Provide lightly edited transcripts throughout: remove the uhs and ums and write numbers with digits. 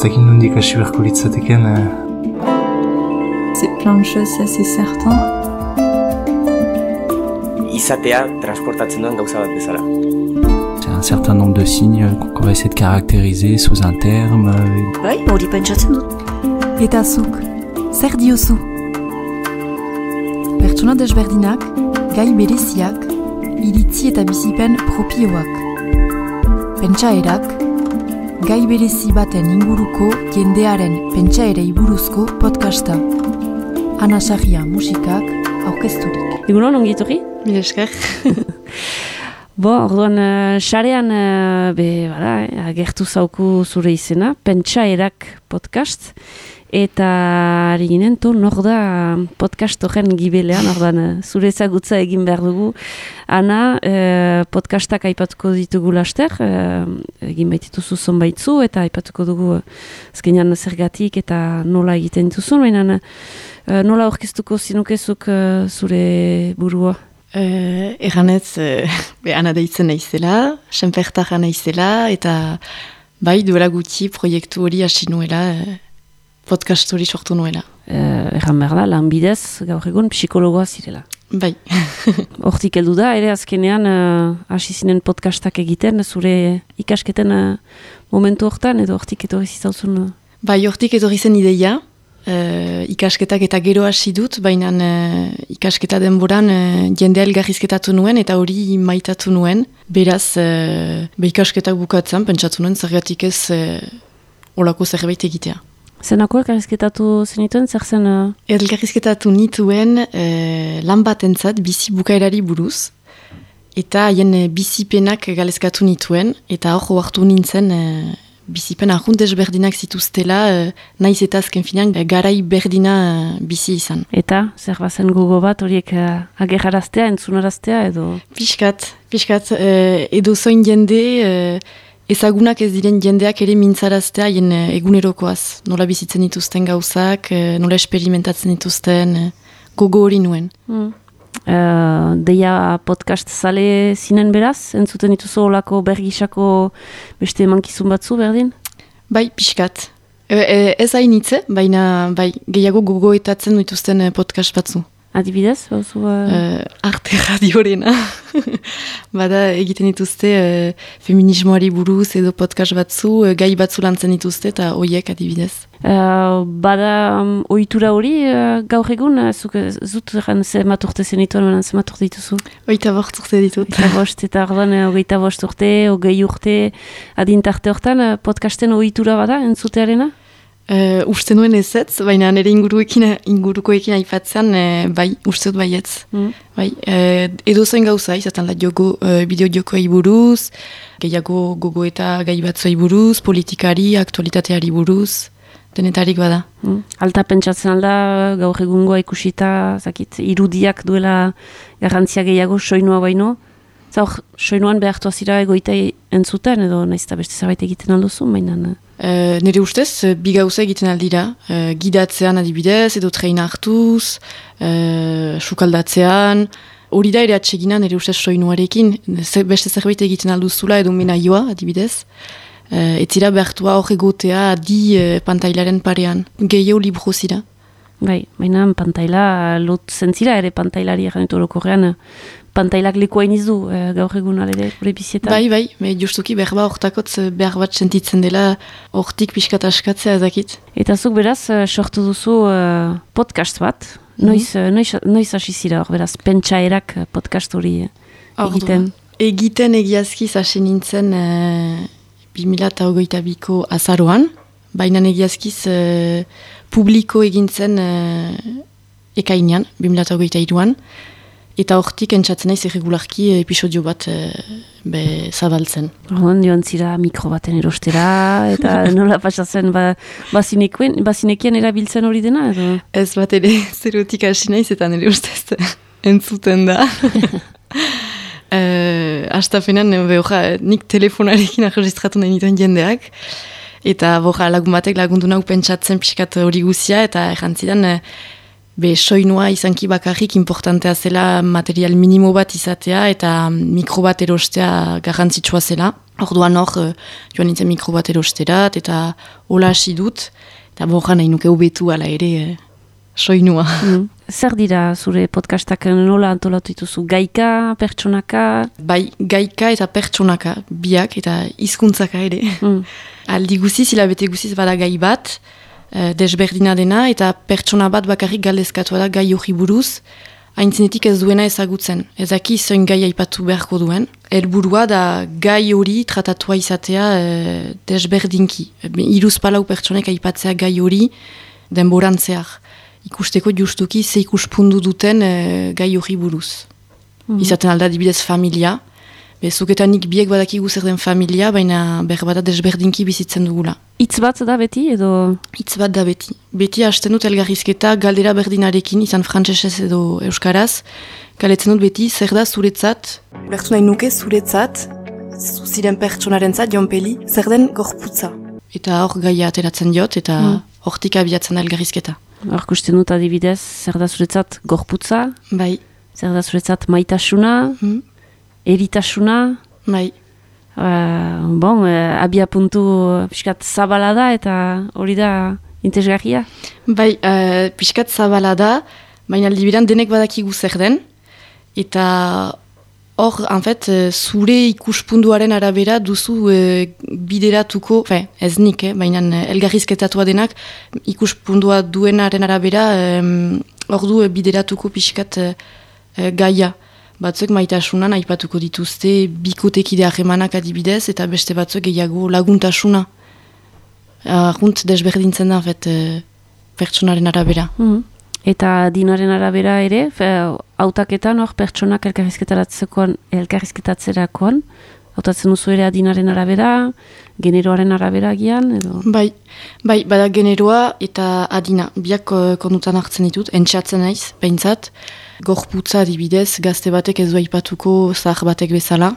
dakit nondik hasi beharko litzateken. C'est plein de choses, ça c'est certain. Izatea transportatzen duen gauza bat bezala. C'est un certain nombre de signes qu'on va essayer de caractériser sous un terme. Bai, hori pentsatzen dut. Eta zuk, zer diozu? Pertsona desberdinak, gai bereziak, iritzi eta bizipen propioak. Pentsaerak, gai berezi baten inguruko jendearen pentsaerei buruzko podcasta. Ana Sarria musikak aurkezturik. Egunon, ongi etorri? Mila esker. Orduan, sarean, agertu zauku zure izena, Pentsaerak podcast, eta ari ginen, nor da podcast horren gibelean, orduan, zure ezagutza egin behar dugu. Ana, podcastak aipatuko ditugu laster, egin baitituzu zonbaitzu, eta aipatuko dugu azkenean zergatik eta nola egiten dituzun, baina nola aurkeztuko zinukezuk zure burua? Erranez, Ana deitzen naizela, senpertarra naizela, eta bai duela gutxi proiektu hori hasi nuela, podcast hori sortu nuela. Erran behar da, lan bidez, gaur egun, psikologoa zirela. Bai. Hortik heldu da, ere azkenean hasi zinen podcastak egiten, zure ikasketen momentu hortan, edo hortik etorri zizauzun? Bai, hortik etorri zen ideia, ikasketak eta gero hasi dut, baina ikasketa denboran jendea elgarrizketatu nuen eta hori maitatu nuen. Beraz, ikasketak bukatzen, pentsatu nuen zergatik ez olako zerbait egitea. Zenako elgarrizketatu zenituen, zer zen? Elgarrizketatu nituen lan batentzat bizi bukaerari buruz, eta haien bizipenak galezkatu nituen, eta hor hartu nintzen bizipen arrunt desberdinak zituztela, naiz eta azken finean garai berdina bizi izan. Eta, zer bazen gogo bat horiek agerraraztea, entzunaraztea edo? Piskat, edo zoin jende, ezagunak ez diren jendeak ere mintzaraztea haien egunerokoaz. Nola bizitzen dituzten gauzak, nola esperimentatzen dituzten, gogo hori nuen. Deia podcast zale zinen beraz, entzuten dituzu olako bergisako beste emankizun batzu berdin? Bai, pixkat. Ez hainitze, baina gehiago gogoetatzen dituzten podcast batzu. Adibidez? Arte radiorena. Bada egiten dituzte feminismoari buruz edo podcast batzu, gai batzu lantzen dituzte eta hoiek adibidez. Bada ohitura hori gaur egun, zut zemat urte zenituen, zemat urte dituzu? 25 urte ditut. 25 eta orduan 25 urte, 20 urte adintarte hortan podcasten ohitura bada entzutearena? Uste nuen ezetz, baina nire ingurukoekin aipatzean, uste dut baietz. Edo zen gauza, izaten da bideo-jokoei buruz, gehiago gogo eta gai batzuei buruz, politikari, aktualitateari buruz, denetarik bada. Alta pentsatzen alda, gaur egungoa ikusita, irudiak duela garrantzia gehiago soinua baino, zaur, soinuan behartu azira egoita entzuten, edo nahiz eta beste zerbait egiten alduzu, baina... Nire ustez, bi gauza egiten aldira. Gidatzean adibidez, edo treina hartuz, sukaldatzean. Hori da ere atsegina nire ustez soinuarekin. Beste zerbait egiten alduzula edo menaioa adibidez. Etzira behartua hor egotea di pantailaren parean. Gehiago libro zira. Bai, baina pantaila lot zentzira ere pantailari erranetu orokorrean. Pantailak lekoa inizu gaur egun alere gure bizietan. Bai, justuki berba hortakotz behar bat sentitzen dela hortik pixkat askatzea ezakit. Eta zuk beraz sortu duzu podcast bat, noiz hasi zira hor beraz, Pentsaerak podcast hori egiten? Egiten egiazkiz hasi nintzen 2022ko azaroan, baina egiazkiz publiko egintzen ekainean, 2023an, eta hortik entzatzen naiz irregularki episodio bat zabaltzen. Horren joan zira mikro baten erostera, eta nola pasatzen bazinekien erabiltzen hori dena? Edo? Ez bat ere zerotik hasi naiz eta nire ustez entzuten da. Astapenan, nik telefonarekin arregistratu nahi nituen jendeak, eta lagun batek lagundu nahu pentsatzen pixkat hori guzia, eta errantzidan soinua izanki bakarrik importantea zela material minimo bat izatea eta mikro bat erostea garrantzitsua zela. Orduan joan nintzen mikro bat erosterat eta hola hasi dut. Eta borra nahi nuke hobetu ala ere soinua. Zer dira zure podcastak nola antolatu dituzu? Gaika, pertsonaka? Bai, gaika eta pertsonaka, biak eta hizkuntzaka ere. Aldi guziz, hilabete guziz bada gai bat, desberdina dena, eta pertsona bat bakarrik galdezkatua da gai hori buruz, haintzenetik ez duena ezagutzen. Ezaki zoin gai aipatu beharko duen. Helburua da gai hori tratatua izatea desberdinki. 3-4 pertsonek aipatzea gai hori denboran zehar. Ikusteko justuki ze ikuspundu duten gai hori buruz. Izaten alda dibidez familia. Bezuketanik biek badakigu zer den familia, baina berbada desberdinki bizitzen dugula. Hitz bat da beti edo? Hitz bat da beti. Beti hasten dut elgarrizketa galdera berdinarekin, izan frantsesez edo euskaraz. Galetzen dut beti zer da zuretzat. Ulertu nahi nuke zuretzat, zuziren pertsonarentzat jonpeli, zer den gorputza. Eta hor gaia ateratzen diot, eta hortik abiatzen da elgarrizketa. Hor kusten dut adibidez, zer da zuretzat gorputza? Bai. Zer da zuretzat maitasuna? Eritasuna? Bai. Abia puntu pixkat zabala da eta hori da interesgarria? Bai, pixkat zabala da, baina aldibiran denek badakigu zer den, eta hor, zure ikuspunduaren arabera duzu bideratuko, ez nik, baina elgarrizketatua denak ikuspundua duenaren arabera hor du bideratuko pixkat gaia. Batzuk maitasunan aipatuko dituzte bikotekide harremanak adibidez, eta beste batzuk gehiago laguntasuna. Arrunt desberdintzen da, pertsonaren arabera. Eta dinaren arabera ere, hautaketan hor pertsonak elkarrizketatzerakoan, hautatzen duzu ere adinaren arabera, generoaren arabera gian, edo? Bai, bada generoa eta adina, biak kondutan hartzen ditut, entxatzen naiz, behintzat, gorputza adibidez, gazte batek ez du aipatuko zahar batek bezala,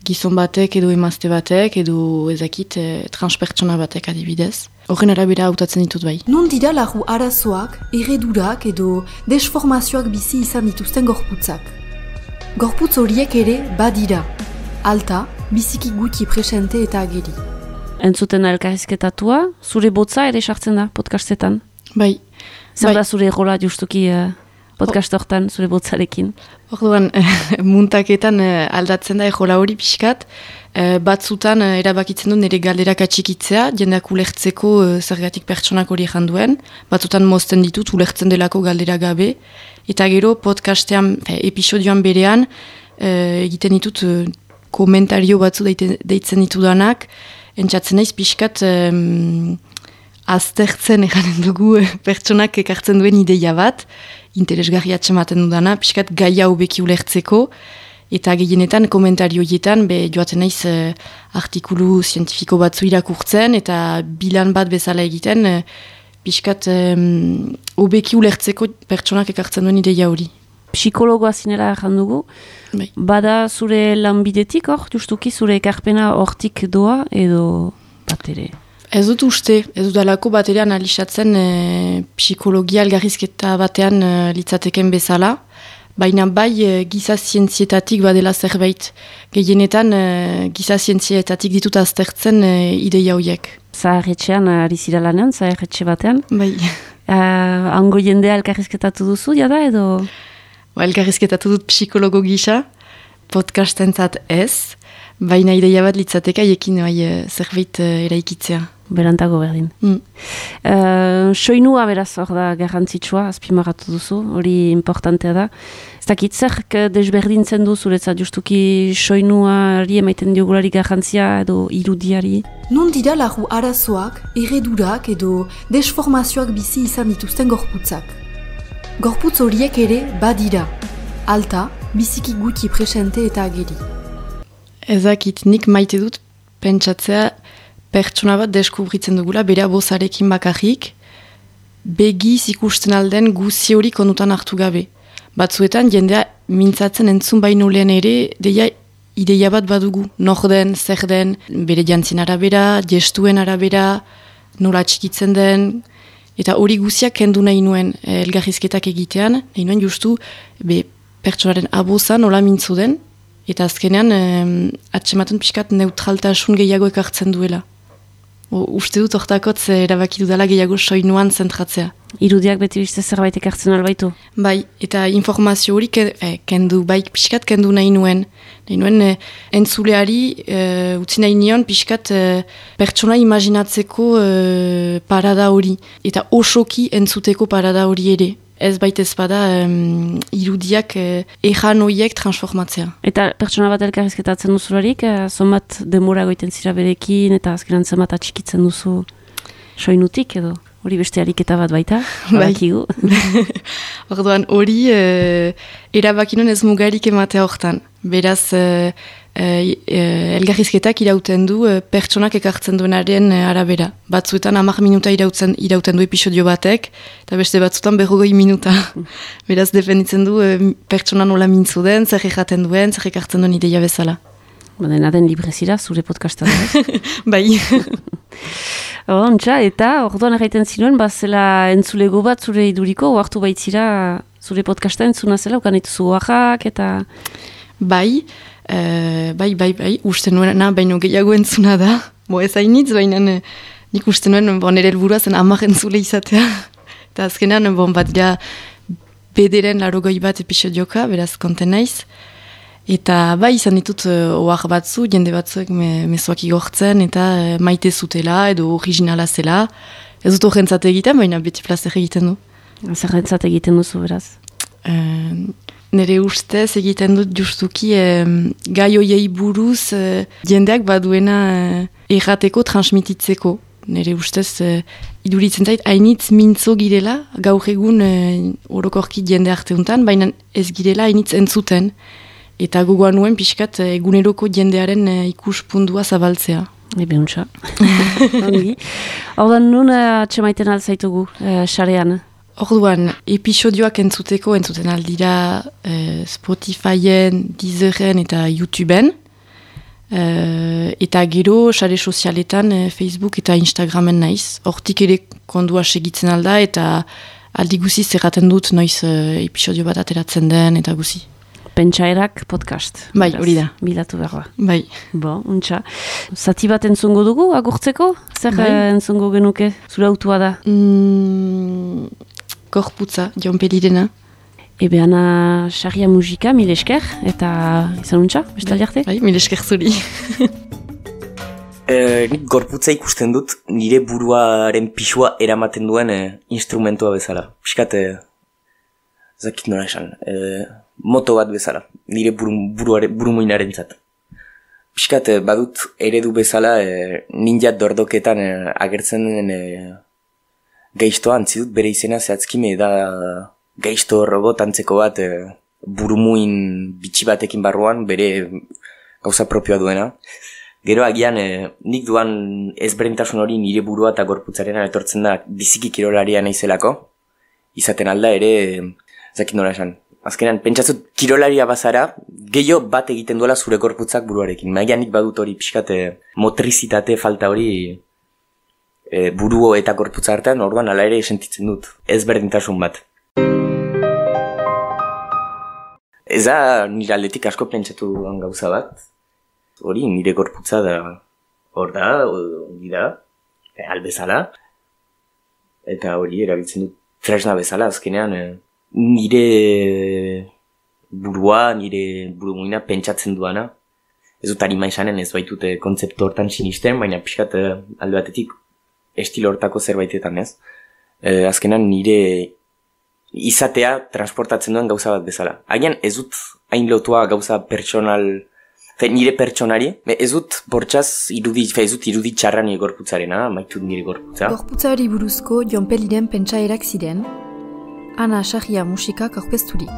gizon batek edo emazte batek, edo ezakit transpertsona batek adibidez. Horren arabera hautatzen ditut bai. Non dira lagu arazoak, eredurak edo desformazioak bizi izan dituzten gorputzak. Gorputz horiek ere badira, alta, biziki gutxi presente eta ageri. Entzuten elkarrizketatua, zure botza ere sartzen da podcastetan? Bai. Zer da zure rola justuki podcast hortan, zure botzarekin? Orduan, muntaketan aldatzen da ejola hori pixkat, batzutan erabakitzen du nire galderak atxikitzea, jendeak ulertzeko zergatik pertsonak hori janduen, batzutan mozten ditut ulertzen delako galdera gabe, eta gero podcastean, episodioan berean, egiten ditut komentario batzu deitzen ditudanak, entzatzen naiz pixkat aztertzen eganen dugu pertsonak ekartzen duen ideia bat, interesgarri atxematen dudana, pixkat gaia hobeki ulertzeko, eta gehienetan komentarioietan joaten naiz artikulu zientifiko batzu irakurtzen, eta bilan bat bezala egiten, pixkat hobeki ulertzeko pertsonak ekartzen duen ideia hori. Psikologoa zinela jandugu, bada zure lanbidetik hor, justuki zure ekarpena hortik doa edo bat ere? Ez dut uste, ez dut alako bat ere analizatzen psikologia algarrizketa batean litzateken bezala, baina bai giza zientzietatik badela zerbait. Gehienetan giza zientzietatik ditut aztertzen ideia horiek. Zaharretxean ari zira lanean, zaharretxe batean? Bai. Hango jendea elkarrizketatu duzu, jada edo? Elkarrizketatu dut psikologo gisa, podcastentzat ez, baina ideia bat litzateka ekin zerbait eraikitzea. Berantago berdin. Soinua beraz hor da garrantzitsua, azpimarratu duzu, hori importantea da. Ez dakit zerk desberdintzen du zuretzat justuki soinuari emaiten diogulari garrantzia edo irudiari? Non dira lagu arazoak, eredurak edo desformazioak bizi izan dituzten gorputzak. Gorputz horiek ere badira, alta, biziki gutxi presente eta ageri. Ezakit, nik maite dut pentsatzea pertsona bat deskubritzen dugula, bera bozarekin bakarrik, begiz ikusten alden guzi hori konutan hartu gabe. Batzuetan jendea mintzatzen entzun baino lehen ere, ideia bat badugu, nor den, zer den, bere jantzien arabera, gestuen arabera, nola txikitzen den, Eta hori guziak kendu nahi nuen elgarrizketak egitean, nahi nuen justu pertsonaren abozan hola mintzu den, eta azkenean atsematen pixkat neutraltasun gehiago ekartzen duela. Uste dut hortakotz erabaki dudala gehiago soinuan zentratzea. Irudiak beti beste zerbait ekartzen albaitu? Bai, eta informazio hori pixkat kendu nahi nuen. Nahi nuen entzuleari utzi nahi nion pixkat pertsona imaginatzeko parada hori. Eta osoki entzuteko parada hori ere. Ez baitez bada irudiak ejan horiek transformatzea. Eta pertsona bat elkarrizketatzen duzularik, zonbat denbora goiten zira berekin, eta azkenan zenbat atxikitzen duzu soinutik edo? Hori beste ariketa bat baita, badakigu. Orduan hori erabakinon ez mugarik ematea hortan. Beraz, elgarrizketak irauten du pertsonak ekartzen duenaren arabera. Batzuetan 10 minuta irauten du episodio batek, eta beste batzuetan 40 minuta. Beraz, defenditzen du pertsona nola mintzu den, zer ejaten duen, zer ekartzen duen ideia bezala. Dena den librezira, zure podcastan. Bai. Ontsa, eta orduan erraiten zinuen, zela entzulego bat zure iduriko, oartu baitzira zure podcasta entzuna zela, ukan dituzu oaxak, eta... Bai, uste nuena, baino gehiago entzuna da. Ez hainitz, baina nik uste nuen, nire helburua zen 10 entzule izatea. Eta azkenean, bat dira bederen 80 bat episodioka, beraz konten naiz. Eta bai, izan ditut oax batzu, jende batzuek mezuak igortzen, eta maite zutela, edo originala zela. Ez dut horrentzat egiten, baina beti plazer egiten du. Zerrentzat egiten duzu, beraz? Nere ustez egiten dut justuki gai hoiei buruz jendeak baduena errateko, transmititzeko. Nere ustez iduritzen zait, hainitz mintzo girela, gaur egun orokorki jende arteuntan, baina ez girela hainitz entzuten. Eta gogoan nuen pixkat eguneroko jendearen ikuspundua zabaltzea. Ebe untsa. Orduan nun atxemaiten alzaitugu, xarean? Orduan, episodioak entzuten aldira Spotifyen, Deezeren eta YouTubeen. Eta gero, xare sozialetan, Facebook eta Instagramen naiz. Hortik ere kondua segitzen alda eta aldi guzi zerraten dut noiz episodio bat ateratzen den eta guzi. Pentsaerak podcast. Bai, hori da. Bilatu behar da. Bai. Untsa. Zati bat entzungo dugu, agurtzeko? Zer entzungo genuke? Zure autua da? Gorputza, Jon Pelirena. Ana xarria musika, mil esker, eta izan untsa, bestaldi arte? Bai, mil esker zuri. Nik gorputza ikusten dut, nire buruaren pixua eramaten duen instrumentua bezala. Piskat, zakit nola esan, moto bat bezala, nire burumuinaren zat. Piskat, badut eredu bezala ninja dordoketan agertzen den gaiztoa antzidut bere izena zehatzkime da gaizto robot antzeko bat burumuin bitxi batekin barruan bere gauza propioa duena. Gero agian nik duan ezberdintasun hori nire burua eta gorputzarena etortzen da biziki kirolaria naizelako. Izaten alda ere, zakit nola esan. Azkenean, pentsatzut kirolaria bazara, gehiago bat egiten duela zure gorputzak buruarekin. Agian nik badut hori pixkat motrizitate falta hori buruo eta gorputza artean, orduan ala ere sentitzen dut. Ezberdintasun bat. Ez da nire aldetik asko pentsatu duan gauza bat. Hori nire gorputza da hor da, hori da, albezala. Eta hori erabiltzen dut tresna bezala azkenean. Nire burua, nire burumuina pentsatzen duana. Ez dut harima esanen, ez baitute kontzeptu hortan sinisten, baina pixkat alde batetik estilo hortako zerbaitetan ez. Azkenan nire izatea transportatzen duen gauza bat bezala. Agian ez dut hain lotua gauza pertsonal, nire pertsonari, ez dut bortxaz irudi txarra nire gorputzarena, maitut nire gorputza. Gorputzari buruzko Jon Peliren pentsaerak ziren, Ana Xarria musikak aurkezturik.